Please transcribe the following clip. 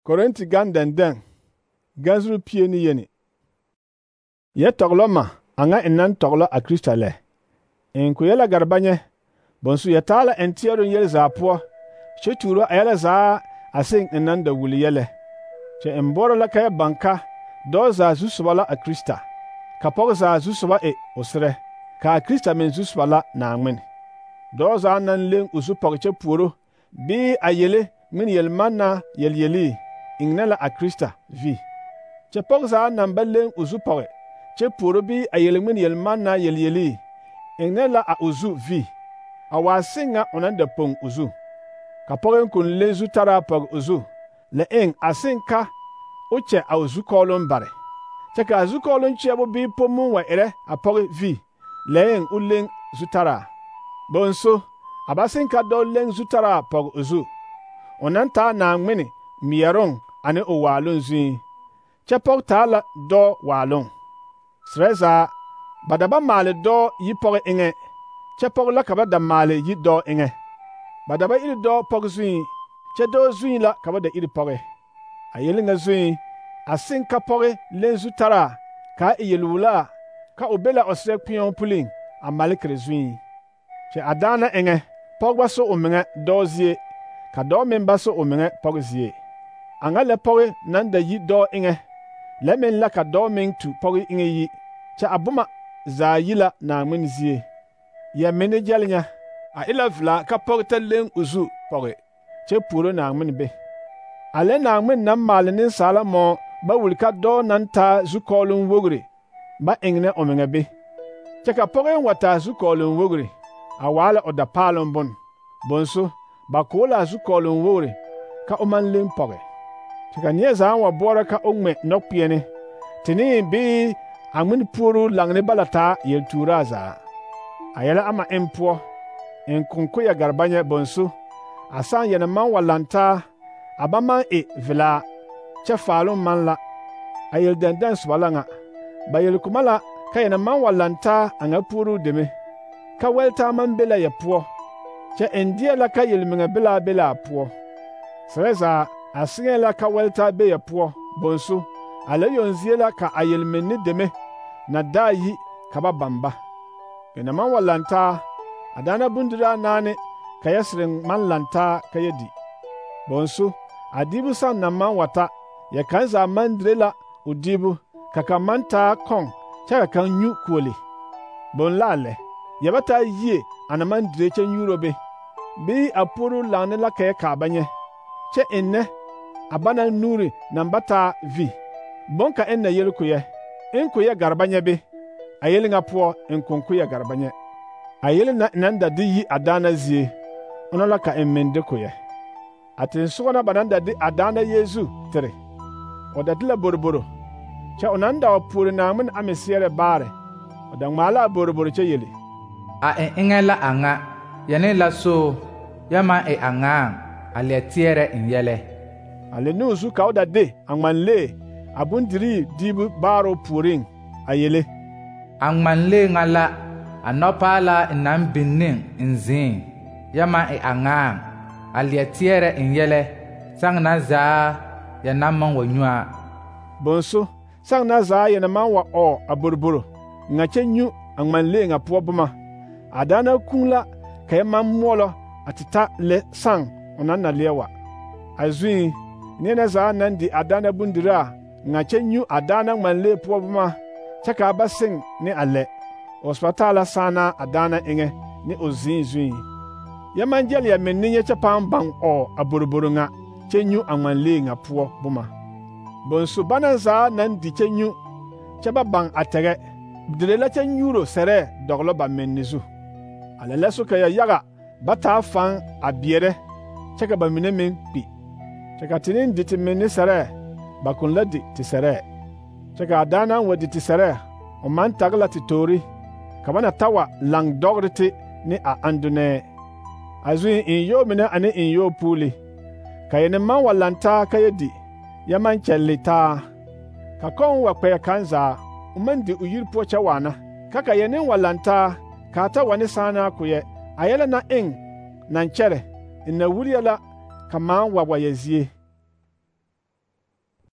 Korinti gan dɛndɛŋ gazuru pie ne yeni. Yɛ tɔglɔ ma aŋa enan tɔglɔ a Krista lɛ. En ko yɛla garbanyɛ bonsu yɛ taa la en teɛroŋ yɛl zaa poɔ kyɛ tuuro a yɛla zaa a seŋ enan da wuli yɛlɛ. Kyɛ en boɔrɔ la ka yɛ baŋ ka dɔɔ zaa zusoba la a Krista, ka pɔge zaa zusoba e o serɛ, ka a Krista meŋ zusoba la Naaŋmen. Dɔɔ zaa naŋ leŋ o zu pɔge kyɛ puoro bii a yele ŋmene yelmannaa yelyelii eŋnɛ la a Krista vi. Kyɛ pɔge zaa naŋ ba leŋ o zu pɔge kyɛ puoro bii a yele ŋmene yelmannaa yelyelii eŋnɛ la a o zu vi, a waa seŋ ŋa o naŋ da poŋ o zu. Ka pɔge kon leŋ zutaraa pɔge o zu, la eŋ a seŋ ka o kyɛ a o zukɔɔloŋ bare. Kyɛ ka a zukɔɔloŋ kyeɛbo bii pommuŋ wa erɛ a pɔge vi, la eŋ o leŋ zutaraa. Bonso, a ba seŋ ka dɔɔ leŋ zutaraa pɔge o zu, o naŋ taa Naaŋmene meɛroŋ ane o waaloŋ zuiŋ, kyɛ pɔge taa la dɔɔ waaloŋ. Serɛ zaa, ba da ba maale dɔɔ yi pɔge eŋɛ, kyɛ pɔge la ka ba da maale yi dɔɔ eŋɛ. Ba da ba iri dɔɔ pɔge zuiŋ, kyɛ dɔɔ zuiŋ la ka ba da iri pɔge. A yele ŋa zuiŋ, a seŋ ka pɔge leŋ zutaraa kaa e yelwulaa ka o be la o serɛ kpeɛo puliŋ a malekere zuiŋ. Kyɛ a daana eŋɛ, pɔge ba so o meŋɛ dɔɔ zie, ka dɔɔ meŋ ba so o meŋɛ pɔge zie. A ŋa lɛ pɔge naŋ da yi dɔɔ eŋɛ, lɛ meŋ la ka dɔɔ meŋ tu pɔge eŋɛ yi, kyɛ a boma zaa yi la Naaŋmen zie. Yɛ menne gyɛl nya, a e la velaa ka pɔge ta leŋ o zu pɔge kyɛ puoro Naaŋmen be. A lɛ Naaŋmen naŋ maale nensaala mɔɔ ba wuli ka dɔɔ naŋ taa zukɔɔloŋ wogre ba eŋnɛ o meŋɛ be. Kyɛ ka pɔge wa taa zukɔɔloŋ wogre, a waa la o dapaaloŋ bon. Bonso, ba koo la a zukɔɔloŋ wogre ka o maŋ leŋ pɔge. Kyɛ ka neɛ zaa wa boɔrɔ ka o ŋmɛ nɔkpeɛne, tenee bii a ŋmene puoruu laŋne bala taa yeltuuraa zaa. A yɛlɛ ama en poɔ, en konko yɛ garbanyɛ bonso, a sãn yɛnɛ maŋ wa lantaa, a ba maŋ e velaa, kyɛ faaloŋ maŋ la. A yel dɛndɛŋ soba la ŋa. Ba yelkoma la ka yɛnɛ maŋ wa lantaa a ŋa puoruu deme, ka wɛltaa maŋ be la yɛ poɔ, kyɛ en deɛ la ka yelmeŋɛ belaa be la a poɔ. Serɛ zaa, a seŋɛɛ la ka wɛltaa be yɛ poɔ, bonso, a la yoŋ zie la ka a yelmenne deme na daa yi ka ba baŋ ba. Yɛnɛ maŋ wa lantaa, a daana bondiraa naane ka yɛ sereŋ maŋ lantaa ka yɛ di. Bonso, a diibu sãn na maŋ wa ta, yɛ kaŋ zaa maŋ dire la o diibu, ka kaŋ maŋ taa kɔŋ kyɛ ka kaŋ nyu kuoli. Bon la a lɛ, yɛ ba taa yie a na maŋ dire kyɛ nyuuro be, bii a puoruu laŋne la ka yɛ kaa ba nyɛ, kyɛ ennɛ a bana nuuri naŋ ba taa vi. Bon ka en na yel ko yɛ, en ko yɛ garbanyɛ be, a yele ŋa poɔ en konko yɛ garbanyɛ. A yele na naŋ da de yi a daana zie, ona la ka en meŋ de ko yɛ. A tensogɔ na ba naŋ da de a daana Yeezu tere, o da de la boroboro, kyɛ o naŋ da wa puori Naaŋmen ame seɛrɛ baare, o da ŋmaa la a boroboro kyɛ yele: A en eŋɛ la a ŋa, yɛne la so, yɛ maŋ e a ŋaaŋ, a leɛ teɛrɛ en yɛlɛ. A le ne o zu ka o da de a ŋmanlee a bondirii diibu baaroo puoriŋ a yele: A ŋmanlee ŋa la a nɔpaalaa n naŋ biŋ ne n zeŋ, yɛ maŋ e a ŋaaŋ, a leɛ teɛrɛ en yɛlɛ, sãŋ na zaa yɛ naŋ maŋ wa nyu a. Bonso, sãŋ na zaa yɛ na maŋ wa ɔɔ a boroboro ŋa kyɛ nyu a ŋmanlee ŋa poɔ boma, a daana kũu la ka yɛ maŋ moɔlɔ a te ta lɛ sãŋ o naŋ na leɛ wa. A zuiŋ, neɛ na zaa naŋ di a daana bondiraa ŋa kyɛ nyu a daana ŋmanlee poɔ boma kyɛ kaa ba seŋ ne a lɛ, o soba taa la sããnaa a daana eŋɛ ne o zĩig zuiŋ. Yɛ maŋ gyɛl yɛ menne nyɛ kyɛ pãã baŋ ɔɔ a boroboro ŋa kyɛ nyu a ŋmanlee ŋa poɔ boma. Bonso bana zaa naŋ di kyɛ nyu, kyɛ ba baŋ a tɛgɛ, dire la kyɛ nyuuro sɛrɛɛ dɔglɔ ba menne zu. A lɛ la so ka yɛ yaga ba taa faŋ a beɛrɛ, kyɛ ka ba mine meŋ kpi. Kyɛ ka te neŋ di te menne sɛrɛɛ, ba kon la di te sɛrɛɛ. Kyɛ ka a daanaŋ wa di te sɛrɛɛ, o maŋ tag la te toori, ka ba na ta wa laŋ dɔgre te ne a andonɛɛ. A zuiŋ enyɔɔ mine ane enyɔɔ puuli, ka yɛne maŋ wa lantaa ka yɛ di, yɛ maŋ kyɛlle taa. Ka kɔŋ wa kpɛɛ kaŋ zaa, o maŋ di o yiri poɔ kyɛ waana, ka ka yɛne wa lantaa kaa ta wa ne sããnaa ko yɛ, a yɛlɛ na eŋ naŋ kyɛrɛ, n na wuri yɛ la ka maaŋ wa yɛ zie.